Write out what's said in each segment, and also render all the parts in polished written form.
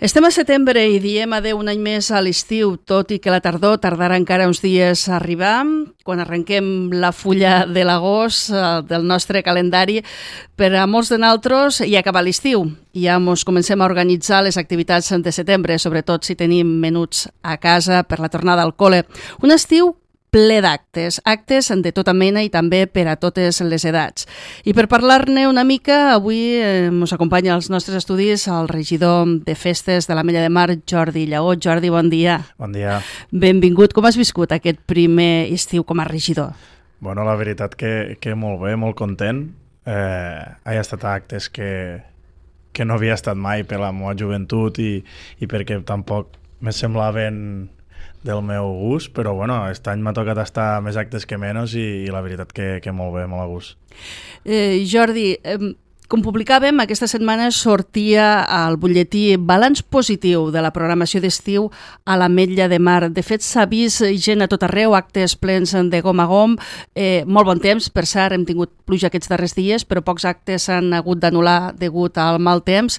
Estem a setembre i diem adeu un any més a l'estiu, tot i que la tardor tardarà encara uns dies a arribar, quan arrenquem la fulla de l'agost del nostre calendari. Per a molts de nosaltres ja acaba l'estiu, ja ens comencem a organitzar les activitats de setembre, sobretot si tenim menuts a casa per la tornada al col·le. Un estiu ple d'actes, actes de tota mena i també per a totes les edats. I per parlar-ne una mica, avui ens acompanya als nostres estudis el regidor de festes de l'Ametlla de Mar, Jordi Lleó. Jordi, bon dia. Bon dia. Benvingut. Com has viscut aquest primer estiu com a regidor? Bueno, la veritat que molt bé, molt content. He estat a actes que no havia estat mai per la meva joventut i perquè tampoc me semblaven del meu gust, però bueno, aquest any m'ha tocat estar més actes que menys i la veritat que molt bé, molt a gust. Jordi, com publicàvem, aquesta setmana sortia al butlletí balanç positiu de la programació d'estiu a l'Ametlla de Mar. De fet, s'ha vist gent a tot arreu, actes plens de gom a gom, molt bon temps, per cert, hem tingut pluja aquests darrers dies, però pocs actes s'han hagut d'anul·lar degut al mal temps.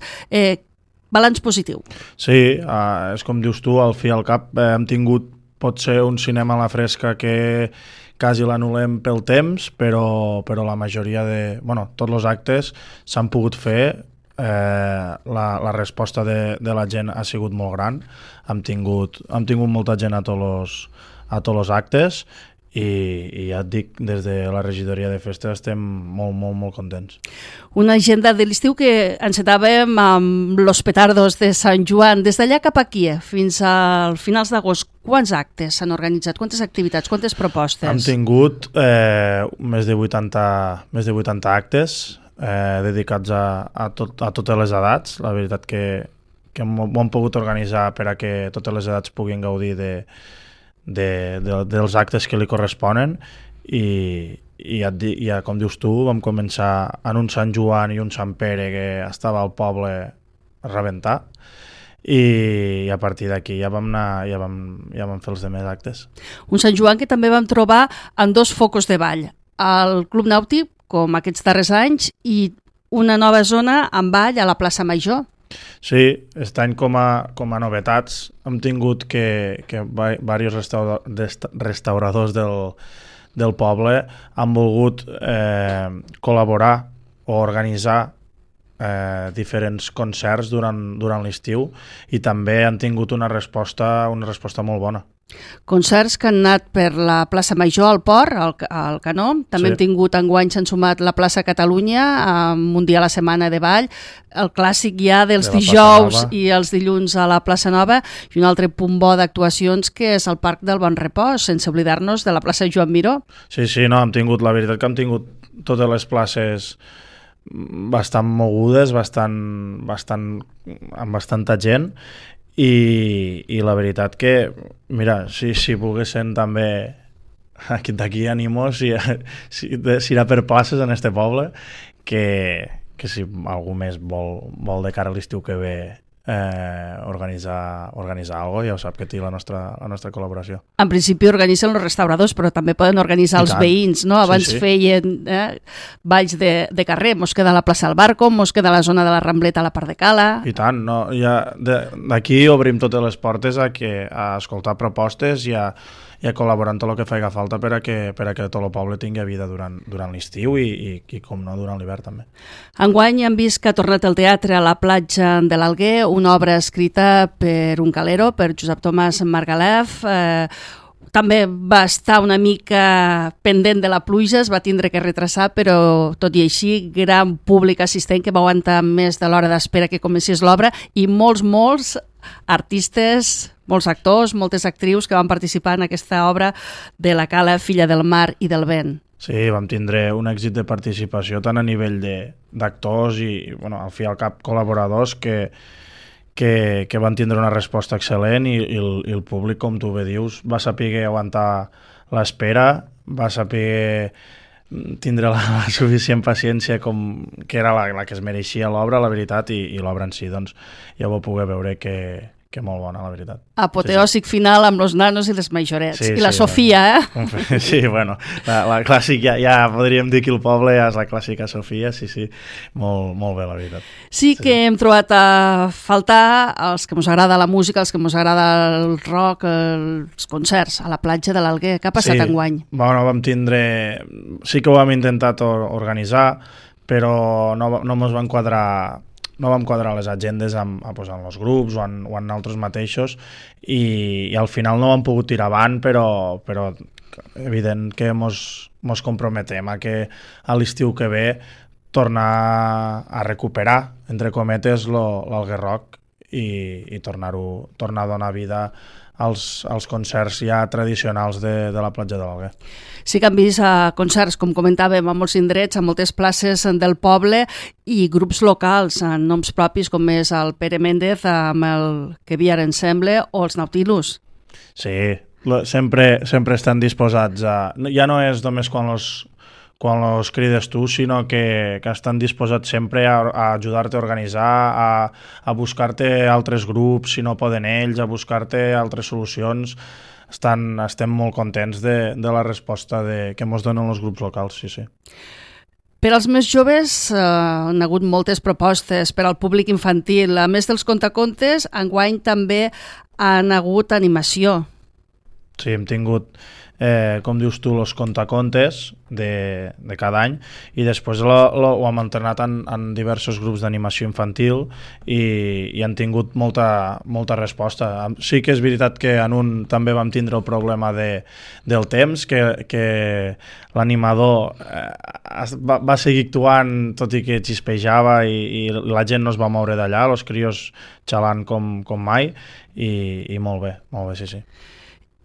Balanç positiu. Sí, és com dius tu, al fi i al cap hem tingut potser un cinema a la fresca que quasi l'anul·lem pel temps, però la majoria de... Bueno, tots els actes s'han pogut fer, la resposta de la gent ha sigut molt gran, hem tingut molta gent a tots els actes i ja et dic, des de la regidoria de festes estem molt, molt, molt contents. Una agenda de l'estiu que encetàvem amb los petardos de Sant Joan. Des d'allà cap aquí, fins al finals d'agost, quants actes s'han organitzat? Quantes activitats? Quantes propostes? Hem tingut més de 80 actes dedicats a totes les edats. La veritat que ho hem pogut organitzar per a que totes les edats puguin gaudir dels actes que li corresponen i ja, com dius tu, vam començar en un Sant Joan i un Sant Pere que estava al poble a rebentar i a partir d'aquí ja vam fer els demés actes. Un Sant Joan que també vam trobar en dos focus de ball, el Club Nàutic, com aquests darrers anys, i una nova zona amb ball a la plaça Major. Sí, aquest any com a novetats hem tingut que diversos restauradors del poble han volgut col·laborar o organitzar diferents concerts durant l'estiu i també han tingut una resposta molt bona. Concerts que han anat per la plaça Major al Port, al Canó. També hem tingut enguany, s'han sumat la plaça Catalunya amb un dia a la setmana de ball, el clàssic ja dels dijous i els dilluns a la plaça Nova i un altre punt bo d'actuacions que és el Parc del Bon Repòs, sense oblidar-nos de la plaça Joan Miró. Sí, no, la veritat que hem tingut totes les places bastant mogudes, amb bastanta gent i la veritat que, mira, si volguessin també d'aquí animo si anar per places en este poble que si algú més vol de cara a l'estiu que ve organitzar alguna cosa, ja ho sap que té la nostra col·laboració. En principi organitzen els restauradors, però també poden organitzar els veïns, no? Abans feien balls de carrer, mos queda a la plaça del Barco, mos queda a la zona de la Rambleta a la part de Cala. I tant, no? D'aquí obrim totes les portes a escoltar propostes i a col·laborar en tot el que faci falta per a que tot el poble tingui vida durant l'estiu i com no, durant l'hivern també. Enguany hem vist que ha tornat el teatre a la platja de l'Alguer, una obra escrita per un calero, per Josep Tomàs Margalef. També va estar una mica pendent de la pluja, es va tindre que retrasar, però tot i així, gran públic assistent que va aguantar més de l'hora d'espera que comencés l'obra i molts artistes, molts actors, moltes actrius que van participar en aquesta obra de la Cala, filla del mar i del vent. Sí, vam tindre un èxit de participació tant a nivell d'actors i, bueno, al fi i al cap, col·laboradors que van tindre una resposta excel·lent i el públic, com tu bé dius, va saber aguantar l'espera, va saber tindre la suficient paciència que era la que es mereixia l'obra, la veritat, i l'obra en si, doncs, ja vau poder veure que molt bona, la veritat. Apoteòsic final amb los nanos i les majorets. I la Sofia, Sí, bueno, la clàssica, ja podríem dir que el poble ja és la clàssica Sofia, sí, molt bé, la veritat. Sí que hem trobat a faltar els que ens agrada la música, els que ens agrada el rock, els concerts a la platja de l'Alguer. Què ha passat enguany? Bueno, sí que ho vam intentat organitzar, però no ens van quadrar. No vam quadrar les agendes en els grups o en altres mateixos i al final no vam pogut tirar avant, però evident que mos comprometem a que a l'estiu que ve tornar a recuperar, entre cometes, l'Alguer Rock i tornar a donar vida als concerts ja tradicionals de la platja de l'Alguer. Sí que han vist concerts, com comentàvem, a molts indrets, a moltes places del poble i grups locals, en noms propis com és el Pere Méndez amb el Que Viar Ensemble o els Nautilus. Sí, sempre estan disposats ja no és només quan los crides tu, sinó que estan disposats sempre a ajudar-te a organitzar, a buscar-te altres grups, si no poden ells, a buscar-te altres solucions. Estem molt contents de la resposta que ens donen els grups locals, sí. Per als més joves han hagut moltes propostes per al públic infantil. A més dels contacontes, enguany també han hagut animació. Sí, hem tingut, com dius tu, els contacontes de cada any i després ho hem entrenat en diversos grups d'animació infantil i han tingut molta resposta. Sí que és veritat que en un també vam tindre el problema del temps, que l'animador va seguir actuant tot i que xispejava i la gent no es va moure d'allà, els crios xalant com mai i molt bé, sí.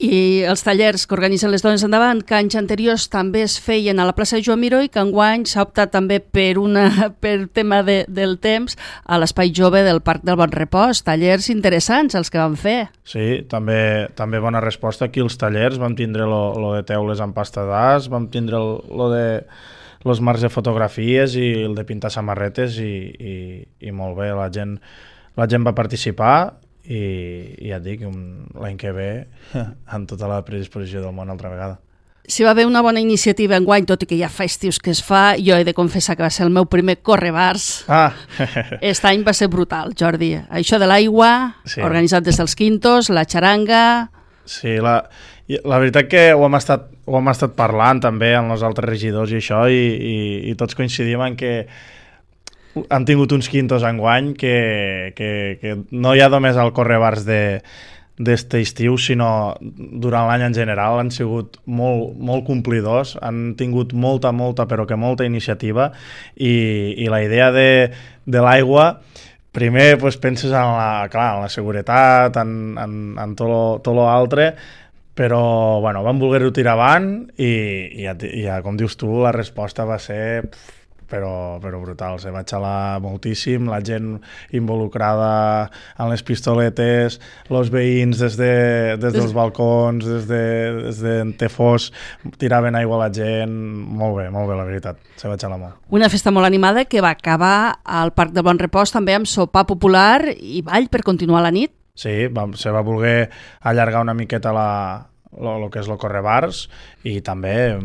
I els tallers que organitzen les Dones Endavant, que anys anteriors també es feien a la plaça Joan Miró i que enguany s'ha optat també per tema del temps a l'Espai Jove del Parc del Bon Repòs. Tallers interessants els que van fer. Sí, també bona resposta aquí als tallers. Vam tindre lo de teules amb pasta d'as, vam tindre lo de los marcs de fotografies i el de pintar samarretes i molt bé, la gent va participar i ja et dic, l'any que ve amb tota la predisposició del món altra vegada. Si va haver una bona iniciativa enguany, tot i que ja fa estius que es fa, jo he de confessar que va ser el meu primer correbars. Aquest any va ser brutal, Jordi. Això de l'aigua, sí. Organitzat des dels Quintos, la xaranga... Sí, la veritat que ho hem estat parlant també amb els altres regidors i això i tots coincidim en que han tingut uns quintos enguany que no hi ha només el correbars d'este estiu, sinó durant l'any en general han sigut molt complidors, han tingut molta iniciativa i la idea de l'aigua, primer penses en la seguretat, en tot l'altre, però vam voler-ho tirar avant i ja, com dius tu, la resposta va ser... Però brutal, se va xalar moltíssim, la gent involucrada en les pistoletes, els veïns des dels balcons, des de Tefós, tiraven aigua a la gent, molt bé, la veritat, se va xalar molt. Una festa molt animada que va acabar al Parc del Bon Repòs també amb sopar popular i ball per continuar la nit. Sí, se va voler allargar una miqueta el que és el correbars i també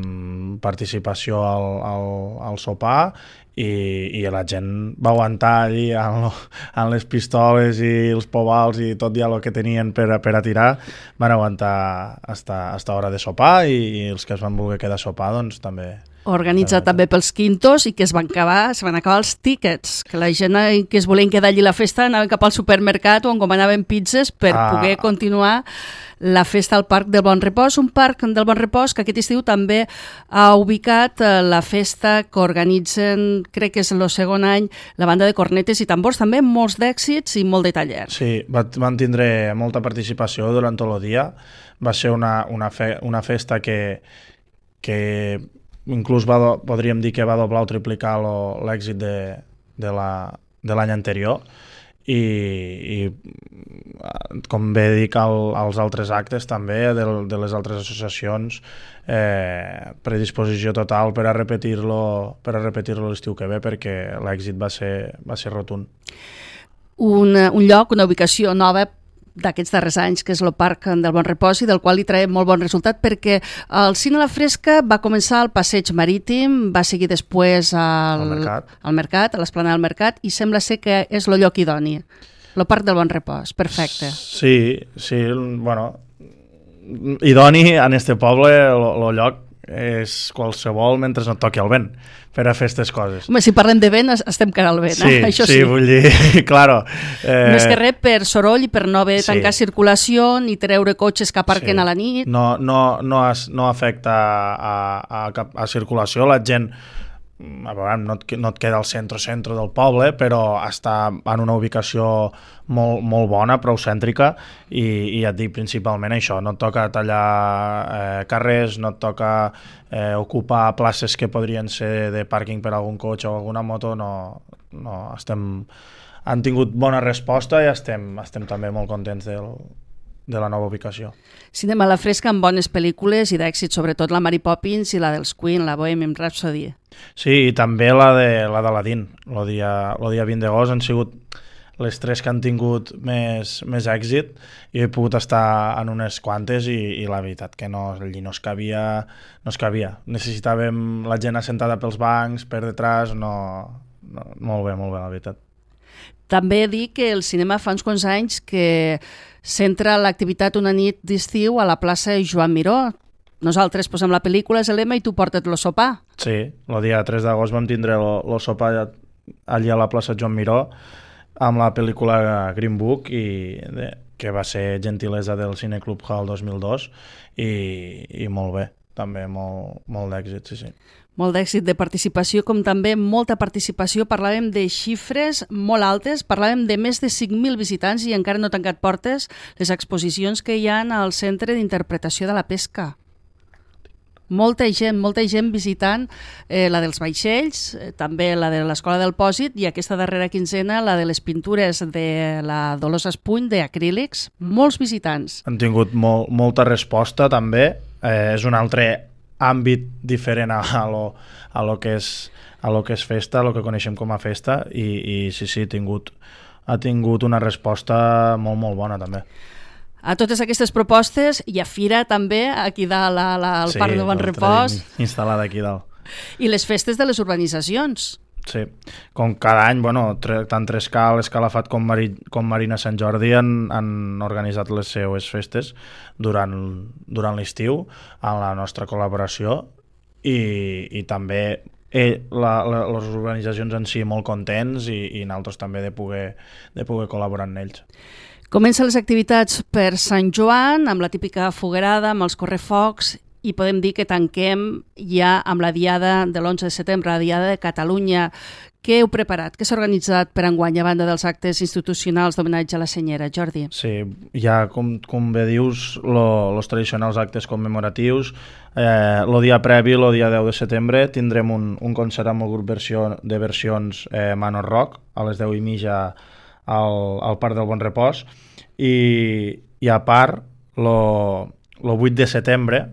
participació al sopar i la gent va aguantar allí amb les pistoles i els povals i tot ja el que tenien per a tirar, van aguantar hasta hora de sopar i els que es van voler quedar a sopar doncs també. Organitzat també pels Quintos i que es van acabar els tíquets, que la gent que es volien quedar allí a la festa anaven cap al supermercat o encomanaven pizzas per poder continuar la festa al Parc del Bon Repòs, un parc del Bon Repòs que aquest estiu també ha ubicat la festa que organitzen, crec que és el segon any, la banda de cornetes i tambors, també molts d'èxits i molt de tallers. Sí, van tindre molta participació durant tot el dia, va ser una festa que inclús podríem dir que va doblar o triplicar l'èxit de l'any anterior i com bé dic als altres actes també de les altres associacions, predisposició total per a repetir-lo l'estiu que ve perquè l'èxit va ser rotund. Un lloc, una ubicació nova d'aquests darrers anys, que és el Parc del Bon Repòs, i del qual li traiem molt bon resultat, perquè el Cine a la Fresca va començar al Passeig Marítim, va seguir després al Mercat, a l'Esplanada del Mercat, i sembla ser que és el lloc idoni. El Parc del Bon Repòs, perfecte. Sí, bueno, idoni en este poble, el lloc és qualsevol mentre no et toqui el vent per a fer aquestes coses. Home, si parlem de vent, estem cara al vent, això sí. Sí, vull dir, claro. Més que res per soroll i per no haver tancar circulació ni treure cotxes que aparquen a la nit. No afecta a circulació, la gent no et queda al centre del poble, però està en una ubicació molt bona, prou cèntrica, i ja et dic principalment això, no et toca tallar carrers, no et toca ocupar places que podrien ser de pàrquing per algun cotxe o alguna moto, han tingut bona resposta i estem també molt contents de la nova ubicació. Cinema a la Fresca amb bones pel·lícules i d'èxit, sobretot la Mary Poppins i la dels Queen, la Bohemian Rhapsody. Sí, i també la d'Aladín, el dia 20 d'agost, han sigut les tres que han tingut més èxit, i he pogut estar en unes quantes i la veritat que allí no es cabia. Necessitàvem la gent assentada pels bancs, per detrás, molt bé, la veritat. També dir que el cinema fa uns quants anys que centra l'activitat una nit d'estiu a la plaça Joan Miró. Nosaltres posem la pel·lícula, és l'Ema, i tu portes el sopar. Sí, el dia 3 d'agost vam tindre el sopar allà a la plaça Joan Miró amb la pel·lícula Green Book, que va ser gentilesa del Cineclub Hall 2002, i molt bé, també molt d'èxit, sí. Molt d'èxit de participació, com també molta participació. Parlàvem de xifres molt altes, parlàvem de més de 5.000 visitants i encara no tancat portes les exposicions que hi ha al Centre d'Interpretació de la Pesca. Molta gent visitant la dels vaixells, també la de l'Escola del Pòsit, i aquesta darrera quinzena la de les pintures de la Dolors Espuny d'acrílics. Molts visitants. Han tingut molta resposta també. És un altre àmbit diferent a lo que és festa, a lo que coneixem com a festa, i sí, ha tingut una resposta molt bona també. A totes aquestes propostes hi ha fira també aquí dalt al Parc del Bon Repòs. Sí, instal·lada aquí dalt. I les festes de les urbanitzacions. Sí, com cada any, tant Trescal, Escalafat com Marina Sant Jordi han organitzat les seues festes durant l'estiu amb la nostra col·laboració, i també les organitzacions en si molt contents, i nosaltres també de poder col·laborar amb ells. Comencen les activitats per Sant Joan, amb la típica foguerada, amb els correfocs, i podem dir que tanquem ja amb la diada de l'11 de setembre, la diada de Catalunya. Què heu preparat? Què s'ha organitzat per enguany, a banda dels actes institucionals d'homenatge a la senyera, Jordi? Sí, ja com bé dius, els tradicionals actes commemoratius. El dia previ, el dia 10 de setembre, tindrem un concert amb el grup de versions Manor Rock a les 10:30 al Parc del Bon Repòs, i a part, el 8 de setembre,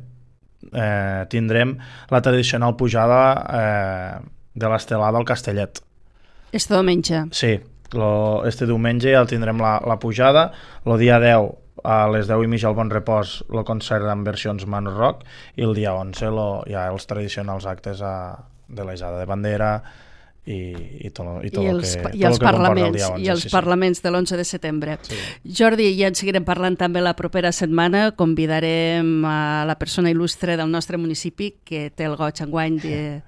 tindrem la tradicional pujada de l'estelada al Castellet. Este diumenge. Sí, este diumenge ja tindrem la pujada. El dia 10 a les 10:30 al Bon Repòs el concert amb versions Manor Rock, i el dia 11 ja els tradicionals actes de la Ijada de Bandera i tot el que comporta el dia 11. I els parlaments de l'11 de setembre. Sí. Jordi, ja en seguirem parlant també la propera setmana. Convidarem a la persona il·lustre del nostre municipi, que té el goig enguany de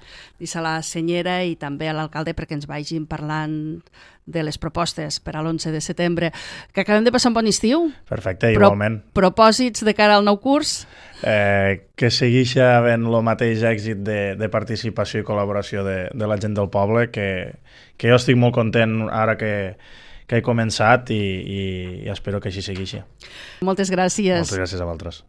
la senyera, i també a l'alcalde, perquè ens vagin parlant de les propostes per a l'11 de setembre. Que acabem de passar un bon estiu. Perfecte, igualment. Propòsits de cara al nou curs? Que segueixi havent el mateix èxit de participació i col·laboració de la gent del poble, que jo estic molt content ara que he començat, i espero que així segueixi. Moltes gràcies. Moltes gràcies a vosaltres.